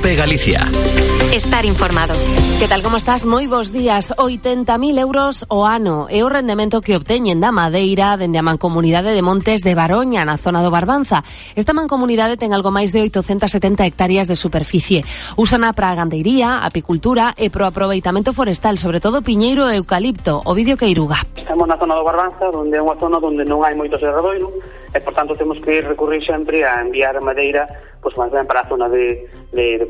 COPE Galicia. Estar informado. Que tal, como estás? Moi bons días. 80.000 euros o ano é o rendemento que obteñen da madeira dende a Mancomunidade de Montes de Baroña, na zona do Barbanza. Esta mancomunidade ten algo máis de 870 hectáreas de superficie. Úsana para a gandeiría, apicultura e pro aproveitamento forestal, sobre todo piñeiro e eucalipto. Ovidio Queiruga. Estamos na zona do Barbanza, onde é unha zona onde non hai moito serradoiro e, por tanto, temos que recurrir sempre a enviar a madeira máis ben para a zona de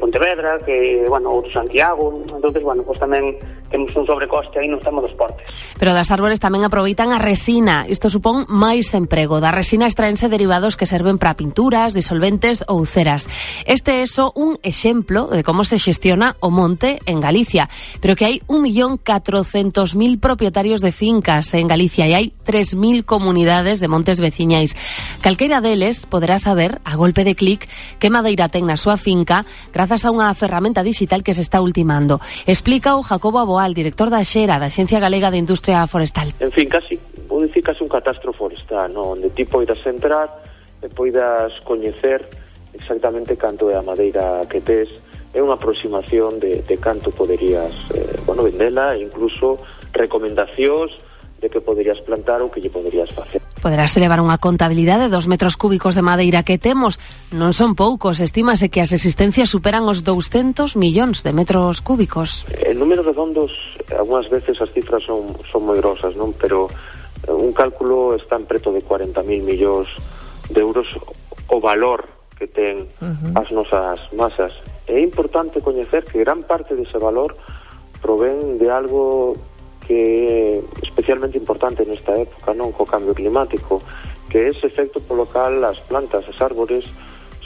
Pontevedra, que, ou de Santiago. Entonces, tamén temos un sobrecoste aí no tema dos portes. Pero das árbores tamén aproveitan a resina. Isto supón máis emprego. Da resina extraense derivados que serven para pinturas, disolventes ou ceras. Este é só un exemplo de como se xestiona o monte en Galicia. Pero que hai 1.400.000 propietarios de fincas en Galicia e hai 3.000 comunidades de montes veciñais. Calqueira deles poderá saber, a golpe de clic, que madeira ten na súa finca grazas a unha ferramenta digital que se está ultimando. Explica o Jacobo Aboal, director da Xera, da Axencia Galega de Industria Forestal. En fin, casi, vou dicir casi un catastro forestal, onde ti poidas entrar e poidas coñecer exactamente canto é a madeira que tes, é unha aproximación de canto poderías vendela e incluso recomendacións de que poderías plantar ou que lle poderías facer. Poderás elevar unha contabilidade de 2 metros cúbicos de madeira que temos. Non son poucos, estímase que as existencias superan os 200 millóns de metros cúbicos. En números redondos, algunhas veces as cifras son moi grosas, non? Pero un cálculo está en preto de 40.000 millóns de euros o valor que ten as nosas masas. É importante coñecer que gran parte dese valor provén de algo que é especialmente importante nesta época, non, co cambio climático, que é ese efecto polo cal as plantas, as árbores,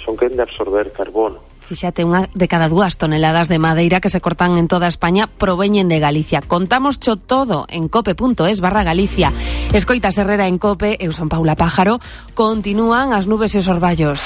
son quen de absorber carbono. Fíxate, unha de cada 2 toneladas de madeira que se cortan en toda España proveñen de Galicia. Contámoscho todo en cope.es/Galicia. Escoitas Herrera en Cope, eu son Paula Pájaro. Continúan as nubes e os orballos.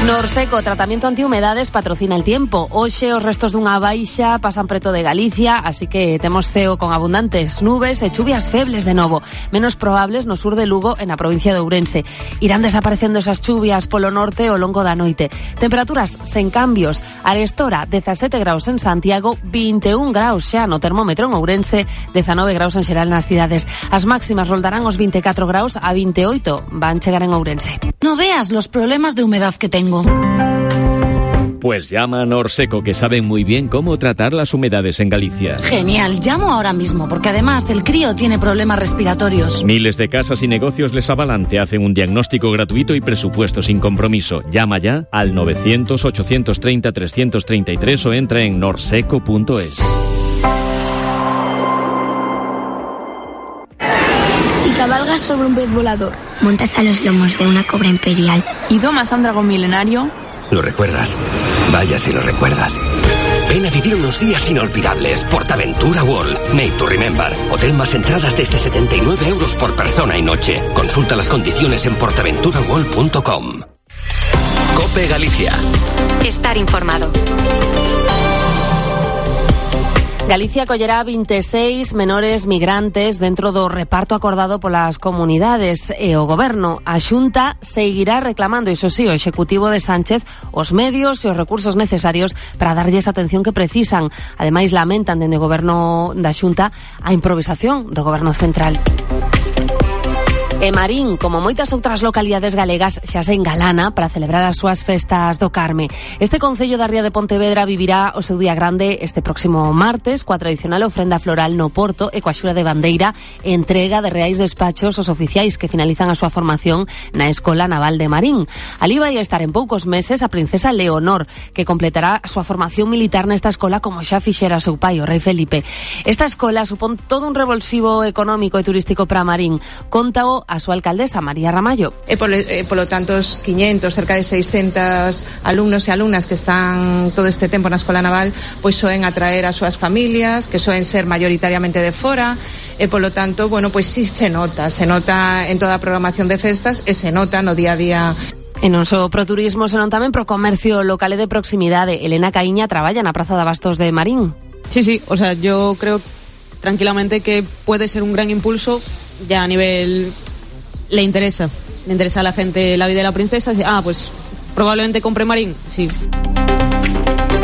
Norseco, tratamento antihumedades, patrocina el tiempo. Hoxe os restos dunha baixa pasan preto de Galicia, así que temos ceo con abundantes nubes e chuvias febles de novo, menos probables no sur de Lugo e na provincia de Ourense. Irán desaparecendo esas chuvias polo norte ao longo da noite. Temperaturas sen cambios. Arestora, 17 graus en Santiago, 21 graus xa no termómetro en Ourense, 19 graus en xeral nas cidades. As máximas roldarán os 24 graus a 28 van chegar en Ourense. No veas los problemas de humedad que tengo. Pues llama a Norseco, que saben muy bien cómo tratar las humedades en Galicia. Genial, llamo ahora mismo, porque además el crío tiene problemas respiratorios. Miles de casas y negocios les avalan, te hacen un diagnóstico gratuito y presupuesto sin compromiso. Llama ya al 900-830-333 o entra en norseco.es. Si cabalgas sobre un pez volador, montas a los lomos de una cobra imperial y domas a un dragón milenario... ¿Lo recuerdas? Vaya si lo recuerdas. Ven a vivir unos días inolvidables. PortAventura World. Made to remember. Hotel más entradas desde 79 euros por persona y noche. Consulta las condiciones en portaventuraworld.com. COPE Galicia. Estar informado. Galicia acollerá 26 menores migrantes dentro do reparto acordado polas comunidades e o Goberno. A Xunta seguirá reclamando, iso sí, o Executivo de Sánchez, os medios e os recursos necesarios para darlles a atención que precisan. Ademais, lamentan dende o Goberno da Xunta a improvisación do Goberno Central. E Marín, como moitas outras localidades galegas, xa se engalana para celebrar as súas festas do Carme. Este concello da Ría de Pontevedra vivirá o seu día grande este próximo martes, coa tradicional ofrenda floral no Porto e coa xura de bandeira e entrega de reais despachos aos oficiais que finalizan a súa formación na Escola Naval de Marín. Ali vai estar en poucos meses a princesa Leonor, que completará a súa formación militar nesta escola como xa fixera seu pai, o rei Felipe. Esta escola supón todo un revulsivo económico e turístico para Marín. Contao a súa alcaldesa, María Ramallo. Polo tanto, os 500, cerca de 600 alumnos e alumnas que están todo este tempo na Escola Naval, pois soen atraer as súas familias, que soen ser mayoritariamente de fora, e polo tanto, pois sí se nota en toda a programación de festas e se nota no día a día. E non só pro turismo, senón tamén pro comercio local e de proximidade. Elena Caíña traballa na Praza de Abastos de Marín. Sí, o sea, yo creo tranquilamente que puede ser un gran impulso ya a nivel... Le interesa a la gente la vida de la princesa. Dice, pues probablemente compre Marín, sí.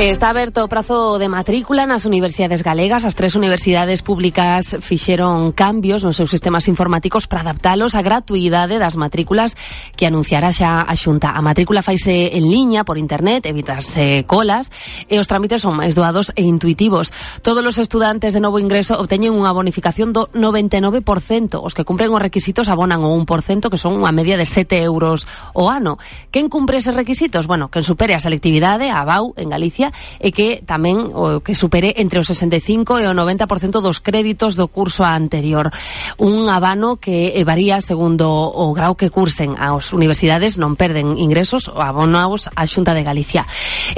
Está aberto o prazo de matrícula nas universidades galegas. As 3 universidades públicas fixeron cambios nos seus sistemas informáticos para adaptalos á gratuidade das matrículas que anunciara xa a Xunta. A matrícula faise en liña por internet, evitarse colas, e os trámites son máis doados e intuitivos. Todos os estudantes de novo ingreso obteñen unha bonificación do 99%. Os que cumpren os requisitos abonan o 1%, que son unha media de 7 euros o ano. Quen cumpre eses requisitos? Bueno, quen supere a selectividade, a ABAU, en Galicia, e que tamén o que supere entre o 65% e o 90% dos créditos do curso anterior. Un abano que varía segundo o grau que cursen. As universidades non perden ingresos ou abonaos á Xunta de Galicia.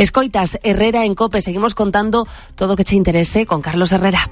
Escoitas Herrera en COPE, seguimos contando todo o que che interese con Carlos Herrera.